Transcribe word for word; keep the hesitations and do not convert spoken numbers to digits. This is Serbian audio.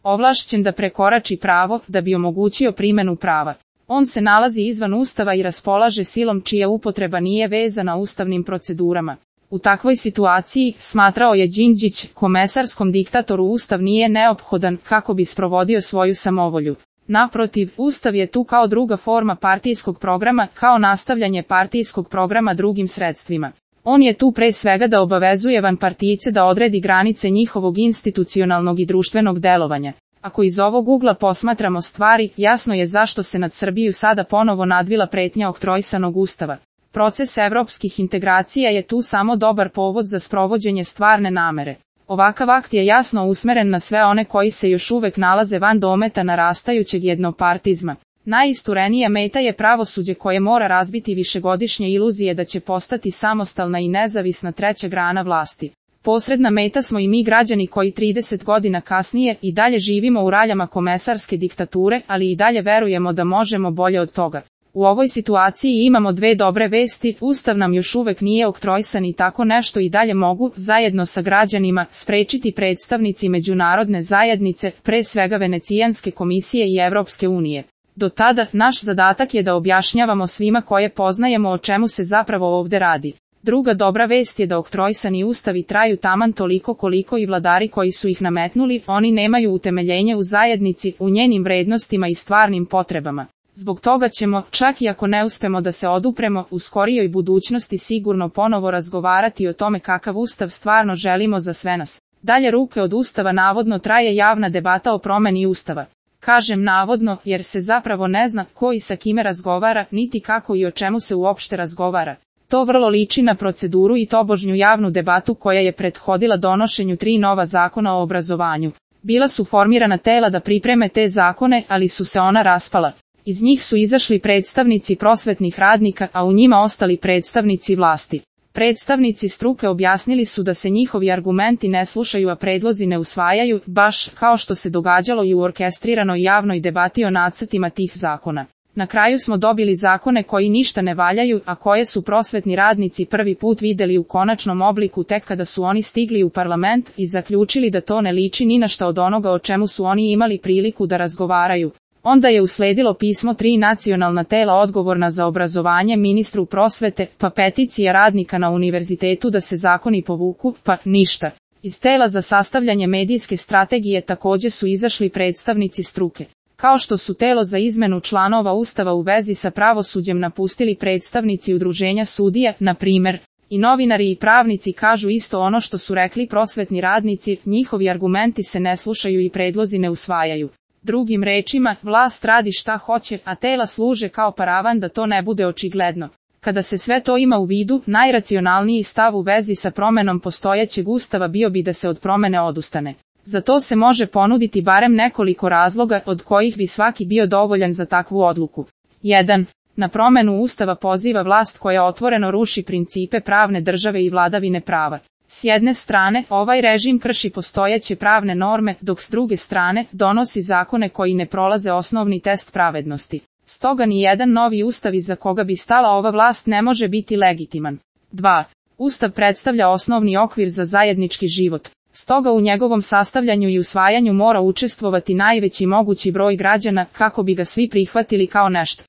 ovlašćen da prekorači pravo da bi omogućio primjenu prava. On se nalazi izvan Ustava i raspolaže silom čija upotreba nije vezana ustavnim procedurama. U takvoj situaciji, smatrao je Đinđić, komesarskom diktatoru Ustav nije neophodan kako bi sprovodio svoju samovolju. Naprotiv, Ustav je tu kao druga forma partijskog programa, kao nastavljanje partijskog programa drugim sredstvima. On je tu pre svega da obavezuje vanpartijce da odredi granice njihovog institucionalnog i društvenog delovanja. Ako iz ovog ugla posmatramo stvari, jasno je zašto se nad Srbiju sada ponovo nadvila pretnja oktroisanog Ustava. Proces evropskih integracija je tu samo dobar povod za sprovođenje stvarne namere. Ovakav akt je jasno usmeren na sve one koji se još uvek nalaze van dometa narastajućeg jednopartizma. Najisturenija meta je pravosuđe koje mora razbiti višegodišnje iluzije da će postati samostalna i nezavisna treća grana vlasti. Posredna meta smo i mi građani koji trideset godina kasnije i dalje živimo u raljama komesarske diktature, ali i dalje verujemo da možemo bolje od toga. U ovoj situaciji imamo dve dobre vesti, Ustav nam još uvek nije oktroisan i tako nešto i dalje mogu, zajedno sa građanima, sprečiti predstavnici međunarodne zajednice, pre svega Venecijanske komisije i Evropske unije. Do tada, naš zadatak je da objašnjavamo svima koje poznajemo o čemu se zapravo ovde radi. Druga dobra vest je da oktroisani ustavi traju taman toliko koliko i vladari koji su ih nametnuli, oni nemaju utemeljenje u zajednici, u njenim vrednostima i stvarnim potrebama. Zbog toga ćemo, čak i ako ne uspemo da se odupremo, u skorijoj budućnosti sigurno ponovo razgovarati o tome kakav ustav stvarno želimo za sve nas. Dalje ruke od ustava navodno traje javna debata o promeni ustava. Kažem navodno, jer se zapravo ne zna ko i sa kime razgovara, niti kako i o čemu se uopšte razgovara. To vrlo liči na proceduru i tobožnju javnu debatu koja je prethodila donošenju tri nova zakona o obrazovanju. Bila su formirana tela da pripreme te zakone, ali su se ona raspala. Iz njih su izašli predstavnici prosvetnih radnika, a u njima ostali predstavnici vlasti. Predstavnici struke objasnili su da se njihovi argumenti ne slušaju, a predlozi ne usvajaju, baš kao što se događalo i u orkestriranoj javnoj debati o nacrtima tih zakona. Na kraju smo dobili zakone koji ništa ne valjaju, a koje su prosvetni radnici prvi put videli u konačnom obliku tek kada su oni stigli u parlament i zaključili da to ne liči ni na šta od onoga o čemu su oni imali priliku da razgovaraju. Onda je usledilo pismo tri nacionalna tela odgovorna za obrazovanje ministru prosvete, pa peticija radnika na univerzitetu da se zakoni povuku, pa ništa. Iz tela za sastavljanje medijske strategije takođe su izašli predstavnici struke. Kao što su telo za izmenu članova Ustava u vezi sa pravosuđem napustili predstavnici udruženja sudija, na primer. I novinari i pravnici kažu isto ono što su rekli prosvetni radnici, njihovi argumenti se ne slušaju i predlozi ne usvajaju. Drugim rečima, vlast radi šta hoće, a tela služe kao paravan da to ne bude očigledno. Kada se sve to ima u vidu, najracionalniji stav u vezi sa promenom postojećeg ustava bio bi da se od promene odustane. Za to se može ponuditi barem nekoliko razloga, od kojih bi svaki bio dovoljan za takvu odluku. jedan. Na promenu ustava poziva vlast koja otvoreno ruši principe pravne države i vladavine prava. S jedne strane, ovaj režim krši postojeće pravne norme, dok s druge strane, donosi zakone koji ne prolaze osnovni test pravednosti. Stoga ni jedan novi ustav iza koga bi stala ova vlast ne može biti legitiman. dva. Ustav predstavlja osnovni okvir za zajednički život. Stoga u njegovom sastavljanju i usvajanju mora učestvovati najveći mogući broj građana kako bi ga svi prihvatili kao nešto